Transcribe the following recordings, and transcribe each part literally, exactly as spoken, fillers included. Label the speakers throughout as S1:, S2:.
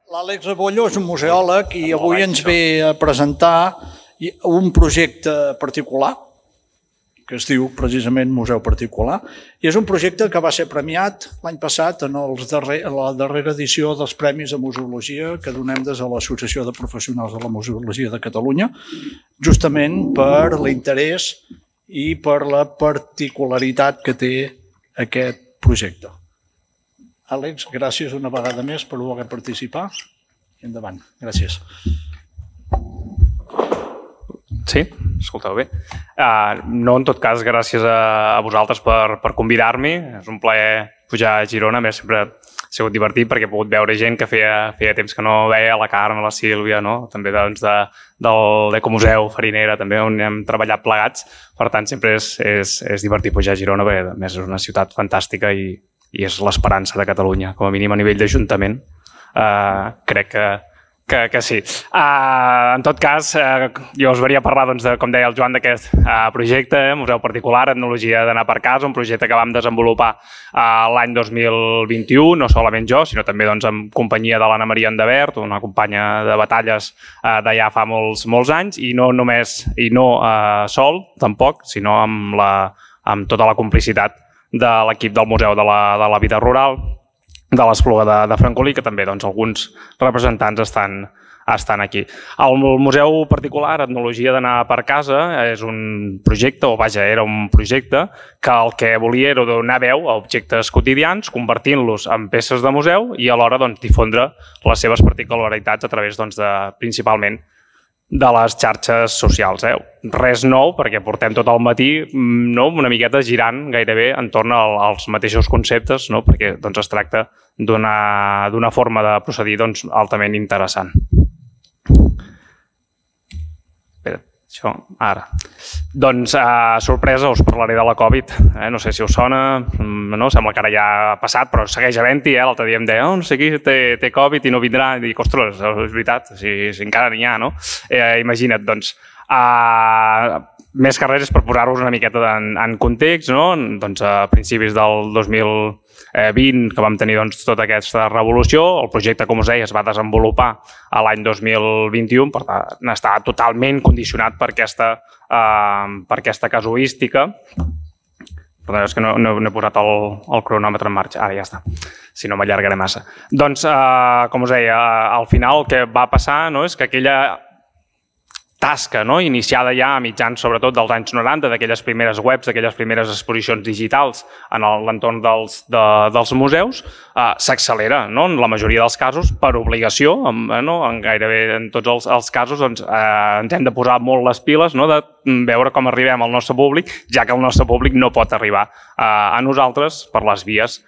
S1: L'Àlex Rebollo és un museòleg i avui ens ve a presentar un projecte particular que es diu precisament Museu Particular, i és un projecte que va ser premiat l'any passat en la darrera edició dels Premis de Museologia que donem des de l'Associació de Professionals de la Museologia de Catalunya, justament per l'interès i per la particularitat que té aquest projecte. Àlex, gràcies una vegada més per voler participar. Endavant. Gràcies.
S2: Sí? Escolteu bé. Uh, no, en tot cas, gràcies a, a vosaltres per, per convidar-m'hi. És un plaer pujar a Girona. A més, sempre ha sigut divertit perquè he pogut veure gent que feia, feia temps que no veia, la Carme, la Sílvia, no? També doncs, de, del Ecomuseu, Farinera, també on hem treballat plegats. Per tant, sempre és, és, és divertit pujar a Girona perquè, a més, és una ciutat fantàstica i, i és l'esperança de Catalunya, com a mínim a nivell d'Ajuntament. Uh, crec que Que, que sí. Uh, en tot cas, uh, jo us venia a parlar, doncs, de, com deia el Joan, d'aquest uh, projecte, eh, Museu Particular, Etnologia d'anar per casa, un projecte que vam desenvolupar uh, l'any dos mil vint-i-u, no solament jo, sinó també doncs, en companyia de l'Anna Maria Endavert, una companya de batalles uh, d'allà fa molts, molts anys, i no només, i no uh, sol, tampoc, sinó amb, la, amb tota la complicitat de l'equip del Museu de la, de la Vida Rural, de l'Espluga de, de Francolí, que també doncs, alguns representants estan, estan aquí. El Museu Particular, Etnologia d'anar per casa, és un projecte, o vaja, era un projecte que el que volia era donar veu a objectes quotidians, convertint-los en peces de museu i alhora doncs, difondre les seves particularitats a través doncs, de, principalment de les xarxes socials. Eh? Res nou, perquè portem tot el matí no? una miqueta girant gairebé entorn als mateixos conceptes, no? perquè doncs, es tracta d'una forma de procedir doncs, altament interessant. Espera, això, ara. Doncs, uh, sorpresa, us parlaré de la Covid. Eh? No sé si us sona, no? Sembla que ara ja ha passat, però segueix havent-hi. Eh? L'altre dia em deia, oh, no sé qui té, té Covid i no vindrà. I dic, ostres, és veritat, si, si encara n'hi ha, no? Eh, imagina't, doncs, uh, més que res és per posar-vos una miqueta en, en context, no? Doncs a principis del dos mil vint, que vam tenir doncs, tota aquesta revolució, el projecte, com us deia, es va desenvolupar a l'any dos mil vint-i-u, per tant, està totalment condicionat per aquesta, uh, per aquesta casuística. Perdó, és que no, no, no he posat el, el cronòmetre en marxa. Ara ja està, si no m'allargaré massa. Doncs, uh, com us deia, al final el que va passar no, és que aquella tasca no? iniciada ja a mitjans, sobretot dels anys noranta, d'aquelles primeres webs, d'aquelles primeres exposicions digitals en l'entorn dels, de, dels museus, eh, s'accelera, no? en la majoria dels casos, per obligació, en, no? en gairebé en tots els, els casos doncs, eh, ens hem de posar molt les piles no? de veure com arribem al nostre públic, ja que el nostre públic no pot arribar eh, a nosaltres per les vies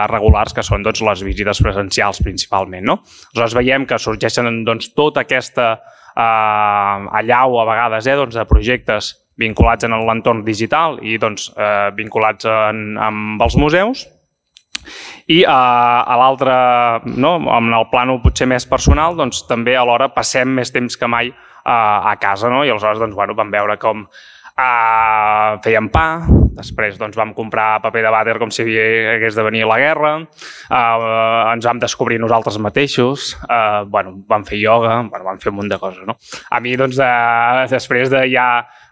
S2: regulars, que són doncs, les visites presencials principalment. No? Aleshores veiem que sorgeixen doncs, tota aquesta Uh, allau a vegades eh, doncs, de projectes vinculats en l'entorn digital i doncs, eh, vinculats en, amb els museus. I uh, a l'altre, no, en el plànol potser més personal, doncs, també alhora passem més temps que mai uh, a casa. No? I aleshores doncs, bueno, vam veure com uh, fèiem pa, després doncs, vam comprar paper de vàter com si hagués de venir la guerra, uh, ens vam descobrir nosaltres mateixos, uh, bueno, vam fer ioga, bueno, vam fer un munt de coses. No? A mi, doncs, de, després de ja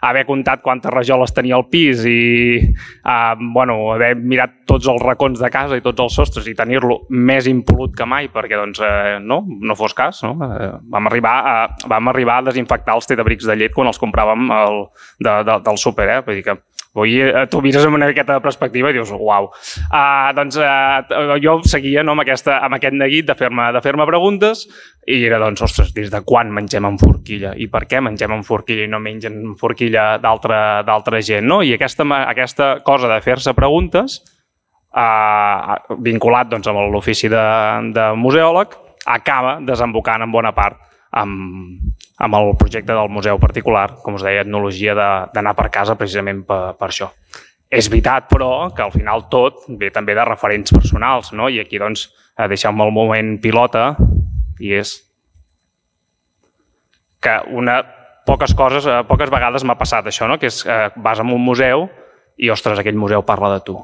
S2: haver comptat quantes rajoles tenia al pis i uh, bueno, haver mirat tots els racons de casa i tots els sostres i tenir-lo més impolut que mai, perquè doncs, uh, no, no fos cas, no? Uh, vam, arribar a, vam arribar a desinfectar els tetrabrics de llet quan els compràvem el, de, de, del súper, eh? Vull dir que Avui tu mires amb una miqueta de perspectiva i dius, uau. Uh, doncs uh, jo seguia no, amb, aquesta, amb aquest neguit de fer-me de fer-me preguntes i era, doncs, ostres, des de quan mengem en forquilla? I per què mengem en forquilla i no mengen en forquilla d'altra gent? No? I aquesta, aquesta cosa de fer-se preguntes, uh, vinculat doncs, amb l'ofici de, de museòleg, acaba desembocant en bona part amb, amb el projecte del Museu Particular, com us deia, etnologia d'anar per casa precisament per, per això. És veritat, però, que al final tot ve també de referents personals, no? I aquí, doncs, deixem el moment pilota i és que una, poques coses, poques vegades m'ha passat això, no? Que és, vas a un museu i, ostres, aquell museu parla de tu.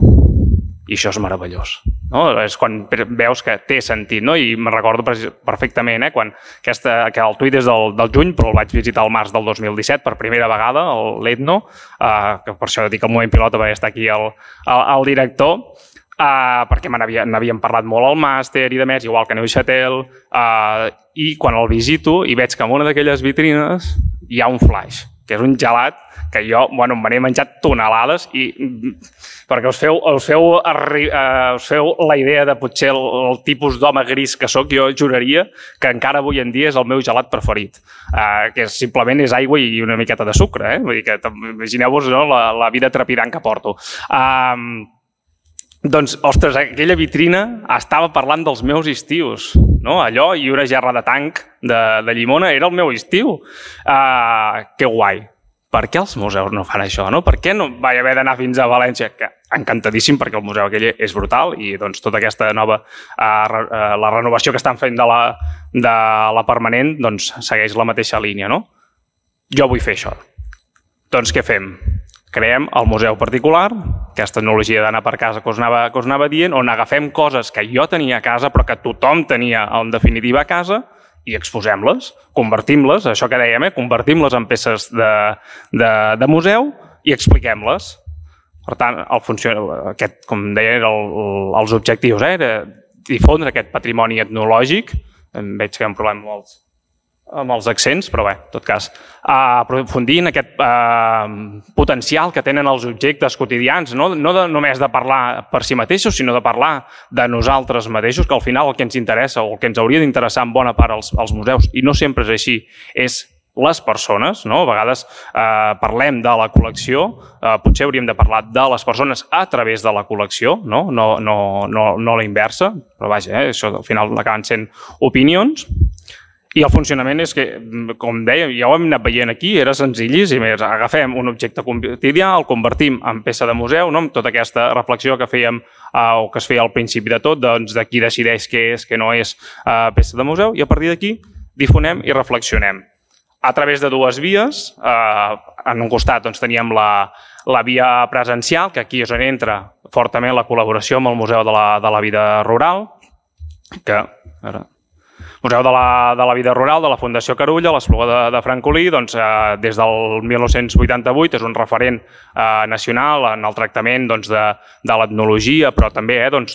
S2: I això és meravellós. No? És quan veus que té sentit, no? I me'n recordo perfectament, eh? Quan aquesta, que el tuit és del, del juny, però el vaig visitar al març del dos mil disset per primera vegada, l'Etno, eh, que per això dic el moment pilota perquè està aquí el, el, el director, eh, perquè me n'havíem parlat molt al màster i de més, igual que Neuchâtel, eh, i quan el visito i veig que en una d'aquelles vitrines hi ha un flash, que és un gelat que jo, bueno, me n'he menjat tonelades i perquè us feu, us feu, uh, us feu la idea de potser el, el tipus d'home gris que sóc, jo juraria que encara avui en dia és el meu gelat preferit, uh, que simplement és aigua i una miqueta de sucre, eh? Vull dir que imagineu-vos, no, la, la vida trepidant que porto. Uh, doncs, ostres, aquella vitrina estava parlant dels meus estius, no? Allò i una gerra de tanc de, de llimona era el meu estiu. Uh, que guai. Per què els museus no fan això? No? Per què no vaig haver d'anar fins a València? Que encantadíssim, perquè el museu aquell és brutal i doncs, tota aquesta nova uh, uh, la renovació que estan fent de la, de la permanent doncs, segueix la mateixa línia. No? Jo vull fer això. Doncs què fem? Creem el museu particular, aquesta tecnologia d'anar per casa que us, anava, que us anava dient, on agafem coses que jo tenia a casa però que tothom tenia en definitiva a casa i exposem-les, convertim-les, això que dèiem, eh? Convertim-les en peces de, de, de museu i expliquem-les. Per tant, el funció, aquest, com deia, el, el, els objectius, eh? Era difondre aquest patrimoni etnològic. Em veig que hi ha un problema amb els, amb els accents, però bé, en tot cas, uh, aprofundir en aquest uh, potencial que tenen els objectes quotidians, no, no de, només de parlar per si mateixos, sinó de parlar de nosaltres mateixos, que al final el que ens interessa o el que ens hauria d'interessar en bona part als, als museus, i no sempre és així, és les persones, no? A vegades eh, parlem de la col·lecció, eh, potser hauríem de parlar de les persones a través de la col·lecció, no, no, no, no, no la inversa, però vaja, eh, això al final acaben sent opinions. I el funcionament és que, com deia, ja ho hem anat veient aquí, era senzillíssim. Agafem un objecte quotidià, el convertim en peça de museu, no? Amb tota aquesta reflexió que fèiem eh, o que es feia al principi de tot, doncs, de qui decideix què és, què no és eh, peça de museu, i a partir d'aquí difonem i reflexionem. A través de dues vies, eh, en un costat doncs, teníem la, la via presencial, que aquí és on entra fortament la col·laboració amb el Museu de la, de la Vida Rural, que... Ara, Museu de la, de la Vida Rural, de la Fundació Carulla, l'Espluga de, de Francolí, doncs, eh, des del mil nou-cents vuitanta-vuit és un referent eh, nacional en el tractament doncs, de, de l'etnologia, però també eh, doncs,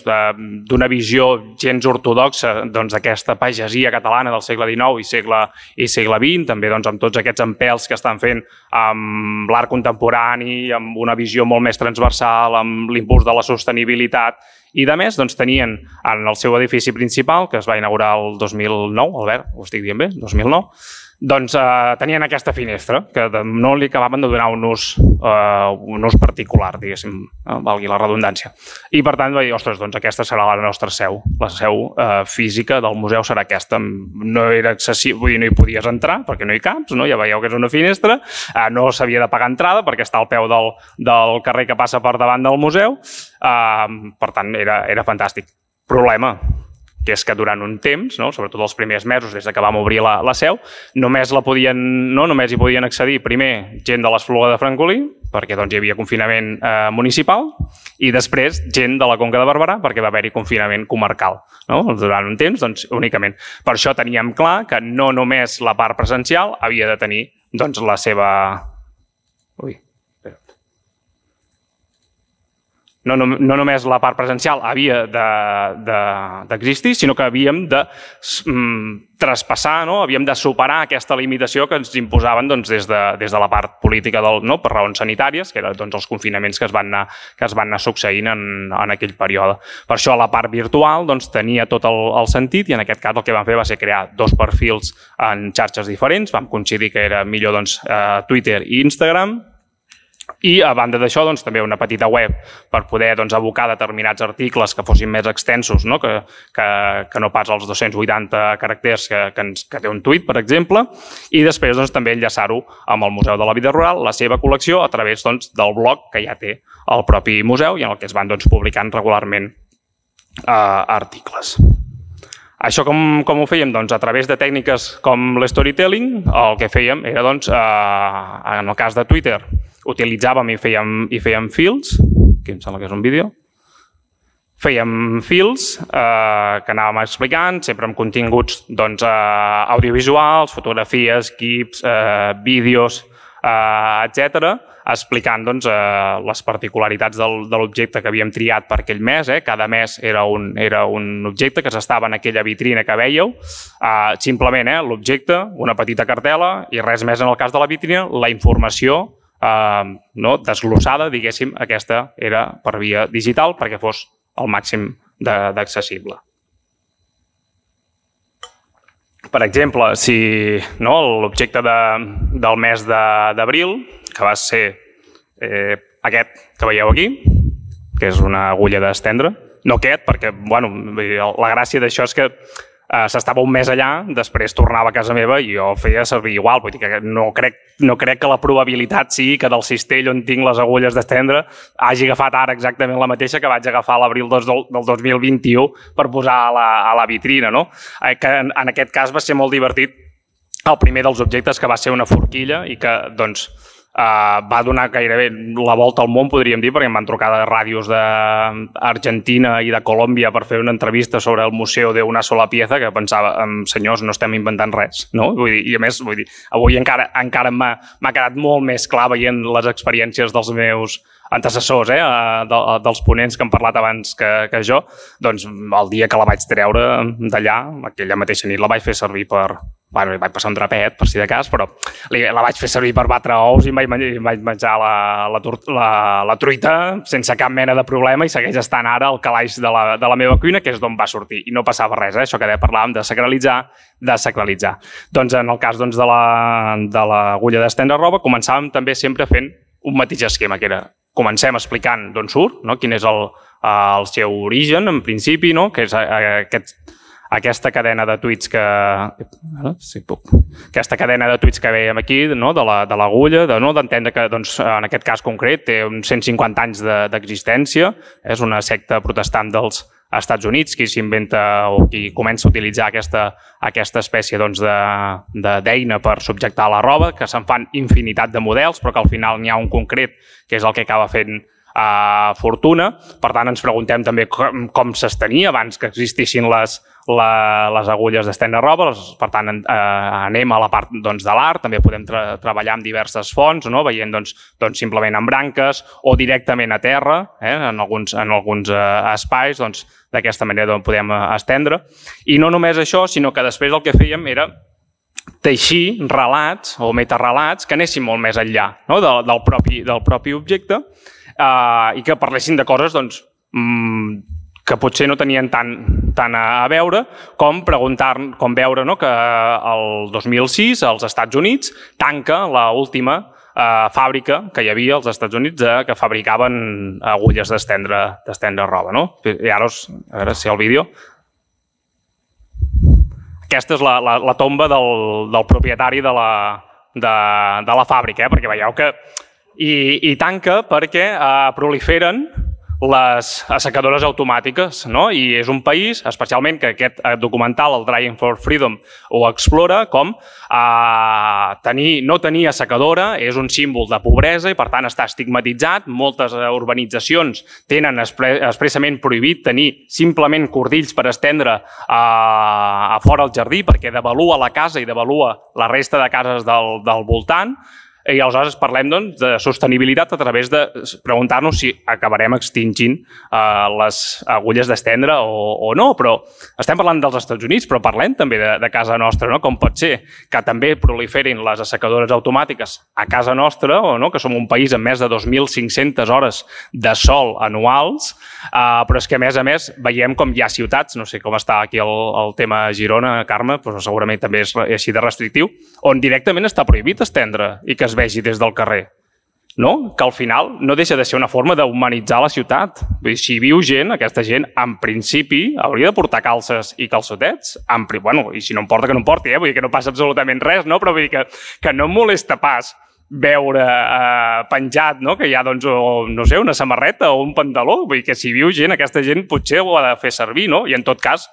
S2: d'una visió gens ortodoxa d'aquesta doncs, pagesia catalana del segle dinou i segle, i segle vint, també doncs, amb tots aquests empels que estan fent amb l'art contemporani, amb una visió molt més transversal, amb l'impuls de la sostenibilitat. I de més, doncs, tenien en el seu edifici principal, que es va inaugurar el dos mil nou, Albert, ho estic dient bé, dos mil nou, doncs eh, tenien aquesta finestra, que no li acabaven de donar un ús, eh, un ús particular, diguéssim, eh, valgui la redundància. I per tant, vaig dir, ostres, doncs aquesta serà la nostra seu, la seu eh, física del museu serà aquesta. No era accessible, vull dir, no hi podies entrar, perquè no hi caps, no? Ja veieu que és una finestra, eh, no s'havia de pagar entrada, perquè està al peu del, del carrer que passa per davant del museu, eh, per tant, era, era fantàstic. Problema, que és que durant un temps, no, sobretot els primers mesos des que vam obrir la, la seu, només, la podien, no, només hi podien accedir primer gent de l'Espluga de Francolí, perquè doncs, hi havia confinament eh, municipal, i després gent de la Conca de Barberà, perquè va haver-hi confinament comarcal. No? Durant un temps, doncs, únicament. Per això teníem clar que no només la part presencial havia de tenir doncs, la seva... Ui, No, no, no només la part presencial havia d'existir, de, de, sinó que havíem de mm, traspassar, no? Havíem de superar aquesta limitació que ens imposaven doncs, des, de, des de la part política del, no? Per raons sanitàries, que eren doncs, els confinaments que es van anar, que es van anar succeint en, en aquell període. Per això la part virtual doncs, tenia tot el, el sentit i en aquest cas el que vam fer va ser crear dos perfils en xarxes diferents. Vam coincidir que era millor doncs, eh, Twitter i Instagram. I a banda d'això doncs, també una petita web per poder doncs, abocar determinats articles que fossin més extensos, no? Que, que, que no pas els dos-cents vuitanta caràcters que, que, ens, que té un tuit, per exemple, i després doncs, també enllaçar-ho amb el Museu de la Vida Rural, la seva col·lecció, a través doncs, del blog que ja té el propi museu i en el que es van doncs, publicant regularment eh, articles. Això com, com ho fèiem? Doncs a través de tècniques com l'storytelling, el que fèiem era, doncs, eh, en el cas de Twitter, utilitzàvem i fèiem, i fèiem fils, que em sembla que és un vídeo, fèiem fils eh, que anàvem explicant, sempre amb continguts doncs, eh, audiovisuals, fotografies, GIFs, eh, vídeos, eh, etcètera, explicant doncs, eh, les particularitats del, de l'objecte que havíem triat per aquell mes. Eh? Cada mes era un, era un objecte que s'estava en aquella vitrina que veieu. Eh, simplement eh, l'objecte, una petita cartela i res més en el cas de la vitrina, la informació eh, no, desglossada, diguéssim, aquesta era per via digital perquè fos al màxim d'accessible. Per exemple, si no, l'objecte de, del mes d'abril, que va ser eh, aquest que veieu aquí, que és una agulla d'estendre, no aquest, perquè bueno, la gràcia d'això és que eh, s'estava un mes allà, després tornava a casa meva i jo feia servir igual, vull dir que no crec, no crec que la probabilitat sigui que del cistell on tinc les agulles d'estendre hagi agafat ara exactament la mateixa que vaig agafar a l'abril del, del dos mil vint-i-u per posar a la, a la vitrina. No? Eh, que en, en aquest cas va ser molt divertit el primer dels objectes, que va ser una forquilla i que doncs, Uh, va donar gairebé la volta al món, podríem dir, perquè em van trucar de ràdios d'Argentina i de Colòmbia per fer una entrevista sobre el Museu d'una sola pieza, que pensava, senyors, no estem inventant res. No? Vull dir, i a més, vull dir, avui encara, encara m'ha quedat molt més clar veient les experiències dels meus antecessors, eh, de, dels ponents que han parlat abans que, que jo, doncs el dia que la vaig treure d'allà, aquella mateixa nit la vaig fer servir per... Bueno, vaig passar un drapet, per si de cas, però la vaig fer servir per batre ous i em vaig, em vaig menjar la, la, la, la truita sense cap mena de problema i segueix estant ara al calaix de la, de la meva cuina, que és d'on va sortir. I no passava res, eh? Això que parlàvem de sacralitzar, de sacralitzar. Doncs en el cas doncs, de l'agulla de d'estendre roba, començàvem també sempre fent un mateix esquema, que era comencem explicant d'on surt, no? Quin és el, el seu origen, en principi, no? Que és aquest... aquesta cadena de tuits que... Sí, puc. Aquesta cadena de tuits que veiem aquí, no? de l'agulla, la, de, no? d'entendre que doncs, en aquest cas concret té uns cent cinquanta anys d'existència, de, és una secta protestant dels Estats Units qui s'inventa o qui comença a utilitzar aquesta, aquesta espècie doncs, d'eina per subjectar la roba, que se'n fan infinitat de models, però que al final n'hi ha un concret que és el que acaba fent Uh, fortuna. Per tant, ens preguntem també com, com s'estenia abans que existissin les, la, les agulles d'estendre roba. Per tant, uh, anem a la part doncs, de l'art, també podem tra treballar amb diverses fonts, no? Veient doncs, doncs, simplement en branques o directament a terra, eh? en alguns, en alguns uh, espais, doncs, d'aquesta manera doncs, podem uh, estendre. I no només això, sinó que després el que fèiem era teixir relats o metarrelats que anessin molt més enllà, no? del, del, propi, del propi objecte, Uh, i que parlessin de coses doncs, mm, que potser no tenien tant, tant a veure com preguntar, com veure no, que el dos mil sis als Estats Units tanca l'última uh, fàbrica que hi havia als Estats Units de, que fabricaven agulles d'estendre d'estendre roba. No? I ara, us, a veure si el vídeo... Aquesta és la, la, la tomba del, del propietari de la, de, de la fàbrica, eh? Perquè veieu que I, i tanca perquè eh, proliferen les assecadores automàtiques, no? I és un país, especialment que aquest documental, el Drying for Freedom, ho explora com eh, tenir, no tenir assecadora és un símbol de pobresa i per tant està estigmatitzat. Moltes urbanitzacions tenen expre expressament prohibit tenir simplement cordills per estendre eh, a fora al jardí perquè devalua la casa i devalua la resta de cases del, del voltant. I aleshores parlem doncs, de sostenibilitat a través de preguntar-nos si acabarem extingint eh, les agulles d'estendre o, o no, però estem parlant dels Estats Units, però parlem també de, de casa nostra, no? Com pot ser que també proliferin les assecadores automàtiques a casa nostra, o no? Que som un país amb més de dos mil cinc-centes hores de sol anuals, eh, però és que a més a més veiem com hi ha ciutats, no sé com està aquí el, el tema a Girona, Carme, però segurament també és així de restrictiu, on directament està prohibit estendre i que es vegi des del carrer, no? Que al final no deixa de ser una forma d'humanitzar la ciutat. Vull dir, si viu gent, aquesta gent, en principi, hauria de portar calces i calçotets. En, bueno, i si no em porta, que no em porti, eh? Vull dir que no passa absolutament res, no? Però vull dir que, que no em molesta pas veure eh, penjat, no? Que hi ha, doncs, o, no sé, una samarreta o un pantaló. Vull dir que si viu gent, aquesta gent potser ho ha de fer servir, no? I en tot cas,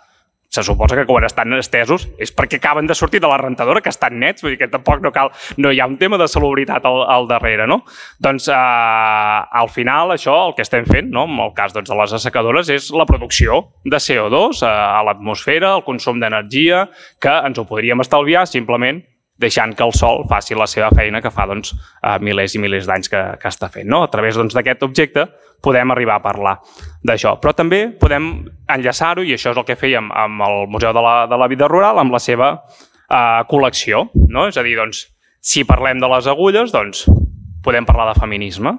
S2: se suposa que quan estan estesos és perquè acaben de sortir de la rentadora, que estan nets, vull dir que tampoc no cal, no hi ha un tema de salubritat al, al darrere, no? Doncs eh, al final això, el que estem fent, no? En el cas doncs, de les assecadores, és la producció de C O dos eh, a l'atmosfera, el consum d'energia, que ens ho podríem estalviar simplement deixant que el sol faci la seva feina que fa doncs, eh, milers i milers d'anys que, que està fent. No? A través doncs, d'aquest objecte podem arribar a parlar d'això. Però també podem enllaçar-ho, i això és el que fèiem amb el Museu de la, de la Vida Rural, amb la seva eh, col·lecció. No? És a dir, doncs, si parlem de les agulles, doncs, podem parlar de feminisme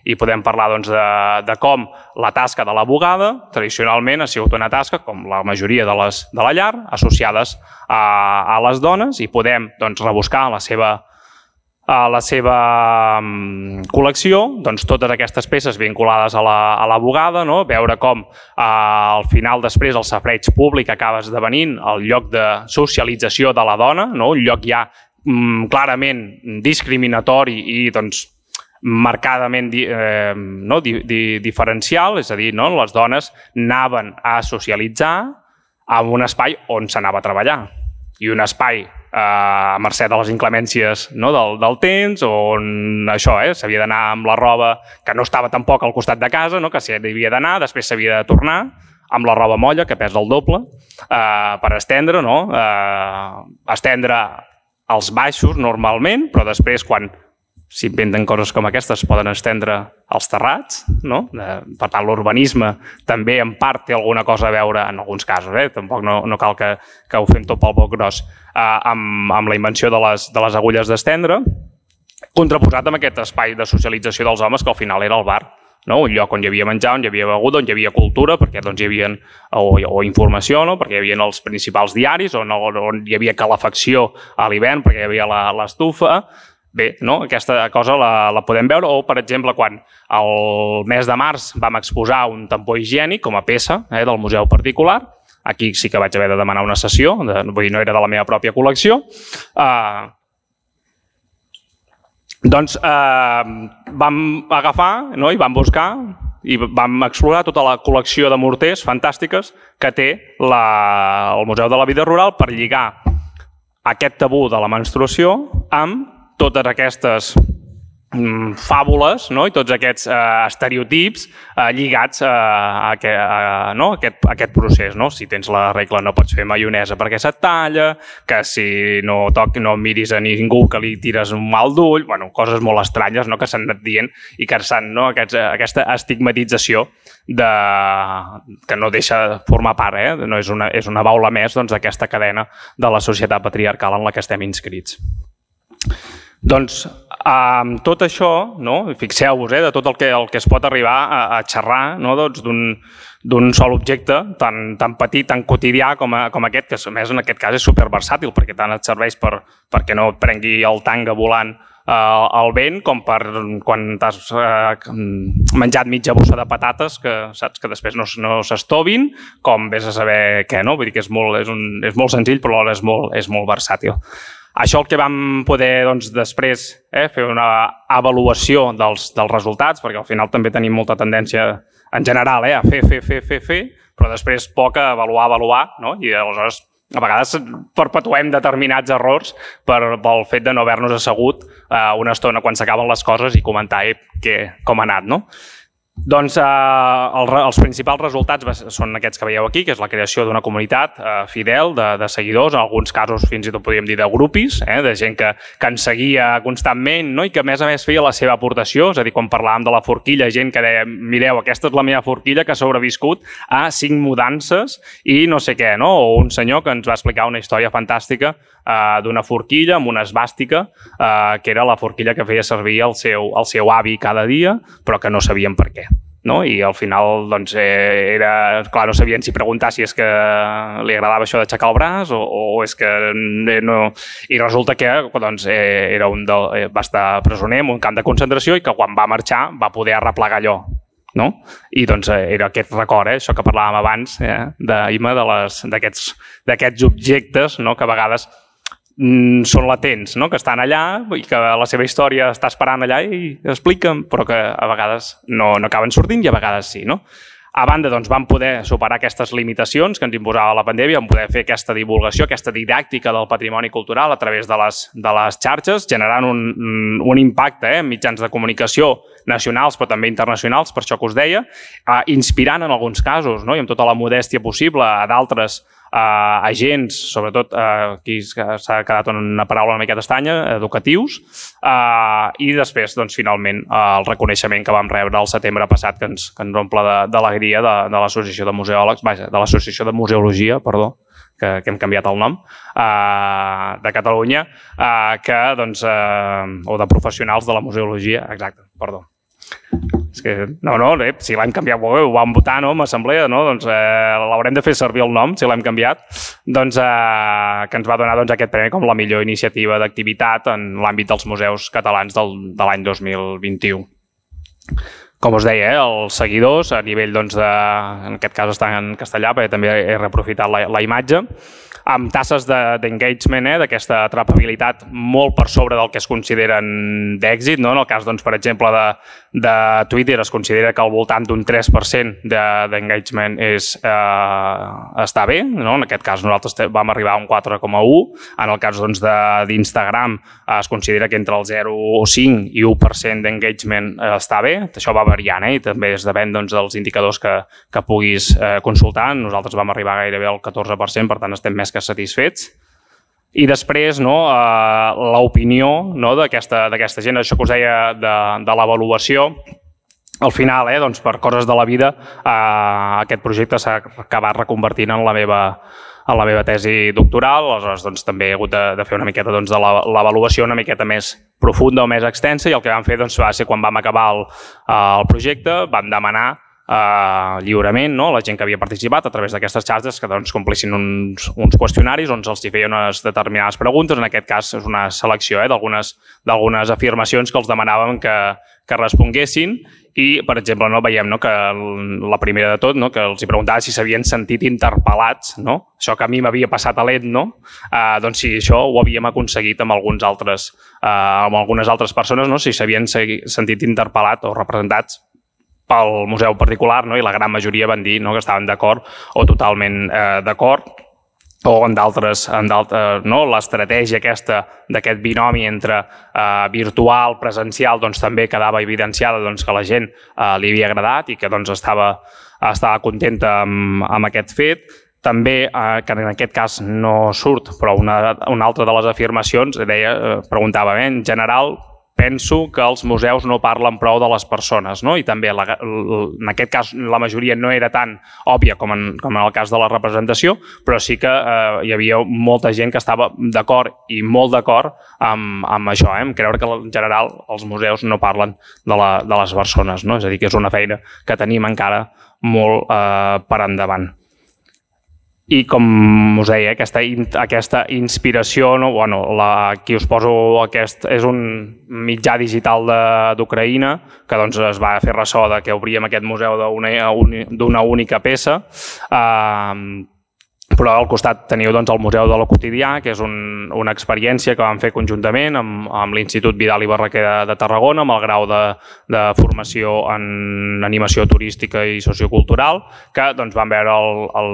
S2: i podem parlar doncs, de, de com la tasca de la bugada tradicionalment ha sigut una tasca, com la majoria de les de la llar, associades a, a les dones, i podem doncs, rebuscar la seva a la seva um, col·lecció, doncs totes aquestes peces vinculades a la, a la bugada, no? Veure com uh, al final després el safareig públic acaba esdevenint el lloc de socialització de la dona, no? Un lloc ja um, clarament discriminatori i doncs, marcadament eh, no? di, di, diferencial, és a dir, no? Les dones anaven a socialitzar en un espai on s'anava a treballar i un espai a mercè de les inclemències no, del, del temps, on això eh, s'havia d'anar amb la roba que no estava tampoc al costat de casa, no, que s'hi havia d'anar, després s'havia de tornar amb la roba molla, que pesa el doble, eh, per estendre, no? eh, estendre als baixos normalment, però després quan s'inventen coses com aquestes poden estendre als terrats, no? Eh, per tant, l'urbanisme també en part té alguna cosa a veure, en alguns casos, eh? Tampoc no, no cal que, que ho fem tot pel poc gros, eh, amb, amb la invenció de les, de les agulles d'estendre, contraposat amb aquest espai de socialització dels homes que al final era el bar, no? Un lloc on hi havia menjar, on hi havia beguda, on hi havia cultura, perquè doncs, hi havia, o, o informació, no? Perquè hi havia els principals diaris, on, on hi havia calefacció a l'hivern, perquè hi havia l'estufa. Bé, no? Aquesta cosa la, la podem veure, o per exemple quan el mes de març vam exposar un tampó higiènic com a peça eh, del museu particular, aquí sí que vaig haver de demanar una sessió, de, vull dir, no era de la meva pròpia col·lecció, eh, doncs eh, vam agafar no? I vam buscar i vam explorar tota la col·lecció de morters fantàstiques que té la, el Museu de la Vida Rural per lligar aquest tabú de la menstruació amb totes aquestes mm, fàbules no? I tots aquests eh, estereotips eh, lligats a, a, a, no? a, aquest, a aquest procés. No? Si tens la regla no pots fer maionesa perquè se't talla, que si no, toc, no miris a ningú que li tires un mal d'ull, bueno, coses molt estranyes no? Que s'han anat dient i que s'han no? Aquests, aquesta estigmatització de, que no deixa de formar part, eh? No és una, és una baula més doncs, d'aquesta cadena de la societat patriarcal en la que estem inscrits. Doncs amb tot això, no? Fixeu-vos eh, de tot el que, el que es pot arribar a, a xerrar no? doncs d'un sol objecte tan, tan petit, tan quotidià com, a, com aquest, que a més en aquest cas és superversàtil perquè tant et serveix per, perquè no et prengui el tanga volant eh, al vent com per quan t'has eh, menjat mitja bossa de patates que saps que després no, no s'estovin, com vés a saber què, no? Vull dir que és molt, és un, és molt senzill però alhora és molt, és molt versàtil. Això el que vam poder doncs, després eh, fer una avaluació dels, dels resultats, perquè al final també tenim molta tendència en general eh, a fer, fer, fer, fer, fer, però després poc a avaluar, avaluar, no? I aleshores a vegades perpetuem determinats errors per, pel fet de no haver-nos assegut eh, una estona quan s'acaben les coses i comentar eh, que, com ha anat, no? Doncs eh, el, els principals resultats són aquests que veieu aquí, que és la creació d'una comunitat eh, fidel de, de seguidors, en alguns casos fins i tot podríem dir de grupis, eh, de gent que, que ens seguia constantment no? I que a més a més feia la seva aportació, és a dir, quan parlàvem de la forquilla, gent que deia, mireu, aquesta és la meva forquilla que ha sobreviscut a cinc mudances i no sé què, no? O un senyor que ens va explicar una història fantàstica eh, d'una forquilla amb una esvàstica, eh, que era la forquilla que feia servir el seu, el seu avi cada dia, però que no sabien per què. No? I al final doncs, eh, era, clar, no sabien si preguntar si és que li agradava això d'aixecar el braç o, o és que no... I resulta que doncs, eh, era un del, eh, va estar presoner en un camp de concentració i que quan va marxar va poder arreplegar allò. No? I doncs eh, era aquest record, eh, això que parlàvem abans, eh, d'Ima, d'aquests objectes no? Que a vegades són latents, no? Que estan allà i que la seva història està esperant allà i expliquen, però que a vegades no, no acaben sortint i a vegades sí. No? A banda, doncs, vam poder superar aquestes limitacions que ens imposava la pandèmia, vam poder fer aquesta divulgació, aquesta didàctica del patrimoni cultural a través de les, de les xarxes, generant un, un impacte eh, en mitjans de comunicació nacionals, però també internacionals, per això que us deia, eh, inspirant en alguns casos, no? I amb tota la modèstia possible a d'altres Uh, agents, sobretot uh, aquí s'ha quedat una paraula una miqueta estranya, educatius, uh, i després, doncs, finalment, uh, el reconeixement que vam rebre el setembre passat, que ens, que ens omple d'alegria de, de, de l'Associació de Museòlegs, vaja, de l'Associació de Museologia, perdó, que, que hem canviat el nom, uh, de Catalunya, uh, que, doncs, uh, o de professionals de la museologia, exacte, perdó. És que, no, no, eh, si l'hem canviat, ho vam votar, no, en assemblea, no, doncs eh, l'haurem de fer servir el nom, si l'hem canviat, doncs eh, que ens va donar doncs, aquest premi com la millor iniciativa d'activitat en l'àmbit dels museus catalans del, de l'any dos mil vint-i-u. Com us deia, eh, els seguidors, a nivell, doncs, de, en aquest cas està en castellà, perquè també he reaprofitat la, la imatge, amb tasses d'engagement, de, eh, d'aquesta atrapabilitat molt per sobre del que es consideren d'èxit. No? En el cas, doncs, per exemple, de, de Twitter es considera que al voltant d'un tres per cent d'engagement de, eh, està bé. No? En aquest cas nosaltres vam arribar a un quatre coma u. En el cas doncs, d'Instagram eh, es considera que entre el zero coma cinc i u per cent d'engagement eh, està bé. Això va variant eh? I també es depèn doncs, dels indicadors que, que puguis eh, consultar. Nosaltres vam arribar gairebé al catorze per cent, per tant estem més que satisfets. I després, no, eh, l'opinió, no, d'aquesta gent, això que us deia de, de l'avaluació, al final, eh, doncs, per coses de la vida, eh, aquest projecte s'ha acabat reconvertint en la meva, en la meva tesi doctoral. Aleshores, doncs, també he hagut de, de fer una miqueta doncs, de l'avaluació una miqueta més profunda o més extensa, i el que vam fer doncs, va ser quan vam acabar el, el projecte, vam demanar Uh, lliurement, no? La gent que havia participat a través d'aquestes xarxes que doncs, complissin uns, uns qüestionaris on se'ls feia unes determinades preguntes. En aquest cas és una selecció eh, d'algunes afirmacions que els demanàvem que, que responguessin i, per exemple, no, veiem no, que la primera de tot, no, que els hi preguntava si s'havien sentit interpel·lats, no? Això que a mi m'havia passat a l'E T, no? Uh, doncs sí, això ho havíem aconseguit amb, alguns altres, uh, amb algunes altres persones, no? Si s'havien sentit interpel·lats o representats pel museu particular, no? I la gran majoria van dir no? Que estaven d'acord o totalment eh, d'acord, o en d'altres, no? L'estratègia aquesta d'aquest binomi entre eh, virtual, presencial, doncs també quedava evidenciada doncs, que la gent eh, li havia agradat i que doncs, estava, estava contenta amb, amb aquest fet. També, eh, que en aquest cas no surt, però una, una altra de les afirmacions deia, eh, preguntava, eh, en general, penso que els museus no parlen prou de les persones, no? I també la, en aquest cas la majoria no era tan òbvia com en, com en el cas de la representació, però sí que eh, hi havia molta gent que estava d'acord i molt d'acord amb, amb això, eh? Amb creure que en general els museus no parlen de, la, de les persones, no? És a dir, que és una feina que tenim encara molt eh, per endavant. I com us deia, aquesta, aquesta inspiració, no? Bueno, la, aquí us poso aquest, és un mitjà digital d'Ucraïna que doncs, es va fer ressò de que obríem aquest museu d'una única peça. Eh, però al costat teniu doncs, el Museu de lo Quotidià, que és un, una experiència que vam fer conjuntament amb, amb l'Institut Vidal i Barraquer de, de Tarragona, amb el grau de, de formació en animació turística i sociocultural, que doncs, van veure el, el,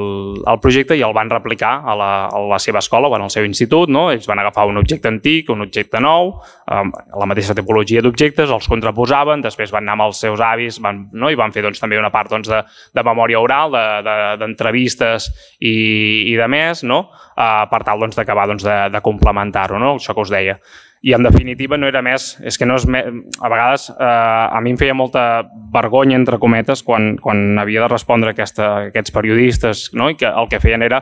S2: el projecte i el van replicar a la, a la seva escola, bueno, al seu institut. No? Ells van agafar un objecte antic, un objecte nou, eh, la mateixa tipologia d'objectes, els contraposaven, després van anar amb els seus avis van, no? I van fer doncs, també una part doncs, de, de memòria oral, d'entrevistes de, de, i i de més, no? uh, per tal doncs, d'acabar doncs, de, de complementar-ho, no? Això que us deia. I en definitiva no era més, és que no és més, a vegades eh, a mi em feia molta vergonya, entre cometes, quan, quan havia de respondre a aquesta, aquests periodistes, no? I que el que feien era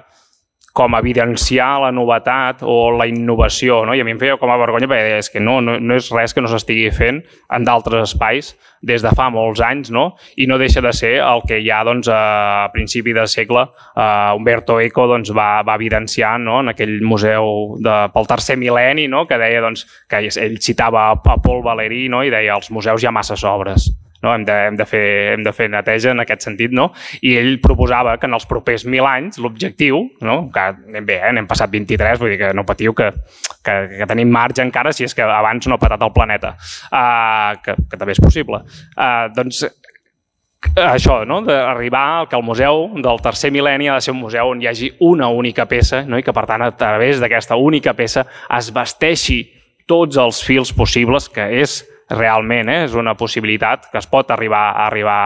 S2: com evidenciar la novetat o la innovació, no? I a mi em feia com a vergonya perquè deia, és que no, no, no és res que no s'estigui fent en d'altres espais des de fa molts anys, no? I no deixa de ser el que ja doncs, a principi de segle uh, Umberto Eco doncs, va, va evidenciar, no? En aquell museu de, pel tercer mil·lenni, no? Que deia doncs, que ell citava a Paul Valéry, no? I deia els museus hi ha masses obres. No? Hem, de, hem, de fer, hem de fer neteja en aquest sentit, no? I ell proposava que en els propers mil anys l'objectiu, no? Que anem bé, eh? N'hem passat vint-i-tres, vull dir que no patiu, que, que, que tenim marge encara si és que abans no ha patat el planeta, uh, que, que també és possible. Uh, doncs això, no? D'arribar que el museu del tercer mil·lenni ha de ser un museu on hi hagi una única peça, no? I que per tant a través d'aquesta única peça es vesteixi tots els fils possibles, que és realment eh, és una possibilitat que es pot arribar a arribar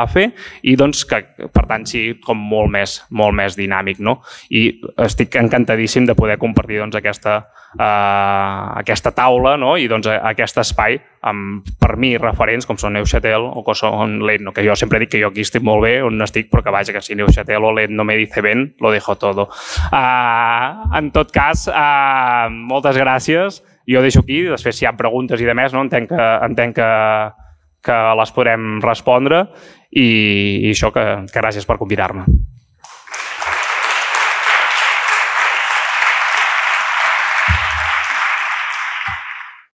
S2: a fer i doncs que per tant sigui com molt més, molt més dinàmic, no? I estic encantadíssim de poder compartir doncs, aquesta, eh, aquesta taula, no? I doncs, aquest espai amb, per mi, referents com són Neuchâtel o que són l'Ed, no? Que jo sempre dic que jo aquí estic molt bé on estic, però que vaja, que si Neuchâtel o l'Ed no me dice ben, lo dejo todo. Uh, en tot cas, uh, moltes gràcies. Jo deixo aquí, després si hi ha preguntes i demés, no? entenc, que, entenc que, que les podrem respondre i, i això, que, que gràcies per convidar-me.